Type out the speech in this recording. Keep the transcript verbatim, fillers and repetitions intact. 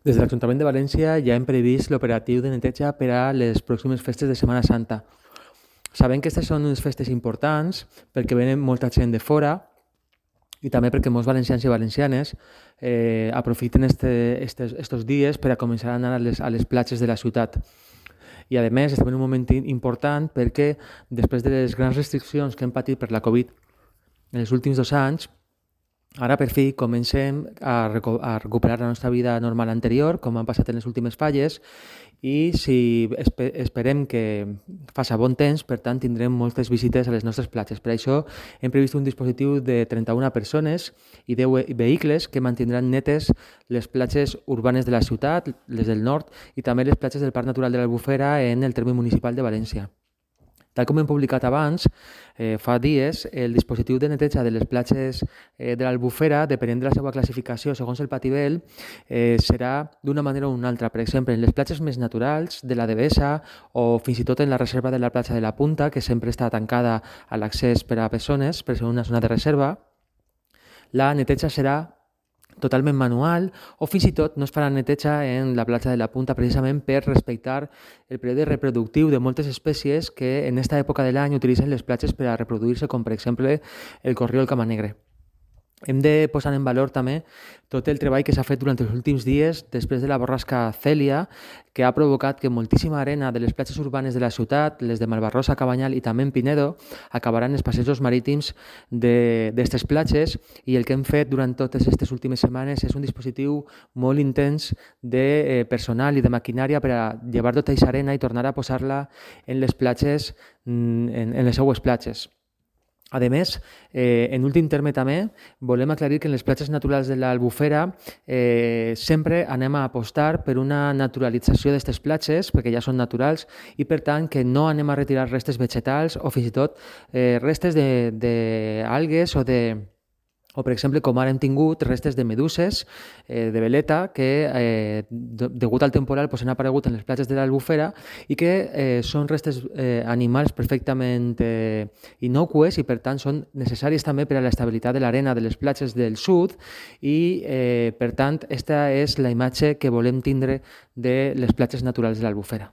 Des de l'Ajuntament de València ja hem previst l'operatiu de neteja per a les pròximes festes de Setmana Santa. Sabem que aquestes són unes festes importants perquè venen molta gent de fora i també perquè molts valencians i valencianes eh, aprofiten este, estes, estos dies per a començar a anar a les, a les platges de la ciutat. I a més estem en un moment important perquè després de les grans restriccions que hem patit per la Covid en els últims dos anys, ara per fi comencem a, reco a recuperar la nostra vida normal anterior, com han passat en les últimes falles, i si espe esperem que faci bon temps, per tant tindrem moltes visites a les nostres platges. Per això hem previst un dispositiu de trenta-una persones i deu vehicles que mantindran netes les platges urbanes de la ciutat, les del nord, i també les platges del Parc Natural de l'Albufera en el terme municipal de València. Tal com hem publicat abans, eh, fa dies, el dispositiu de neteja de les platges eh, de l'Albufera, depenent de la seva classificació segons el patibel, eh, serà d'una manera o una altra. Per exemple, en les platges més naturals de la Devesa o fins i tot en la reserva de la platja de la Punta, que sempre està tancada a l'accés per a persones, per ser una zona de reserva, la neteja serà totalment manual o fins i tot no es farà neteja en la platja de la Punta precisament per respectar el període reproductiu de moltes espècies que en aquesta època de l'any utilitzen les platges per a reproduir-se, com per exemple el corriol camanegre. Hem de posar en valor també tot el treball que s'ha fet durant els últims dies després de la borrasca Cèlia, que ha provocat que moltíssima arena de les platges urbanes de la ciutat, les de Malvarrosa, Cabanyal i també en Pinedo, acabaran els passejos marítims d'aquestes platges, i el que hem fet durant totes aquestes últimes setmanes és un dispositiu molt intens de personal i de maquinària per a llevar tota aquesta arena i tornar a posar-la en les platges, en, en les seues platges. A més, eh, en últim terme també, volem aclarir que en les platges naturals de l'Albufera eh, sempre anem a apostar per una naturalització d'aquestes platges, perquè ja són naturals, i per tant que no anem a retirar restes vegetals o fins i tot eh, restes d'algues o de... O, per exemple, com ara hem tingut restes de meduses, eh, de veleta, que eh, de, degut al temporal pues, han aparegut en les platges de l'Albufera i que eh, són restes eh, animals perfectament eh, innocues i, per tant, són necessaris també per a l'estabilitat de l'arena de les platges del sud i, eh, per tant, aquesta és la imatge que volem tindre de les platges naturals de l'Albufera.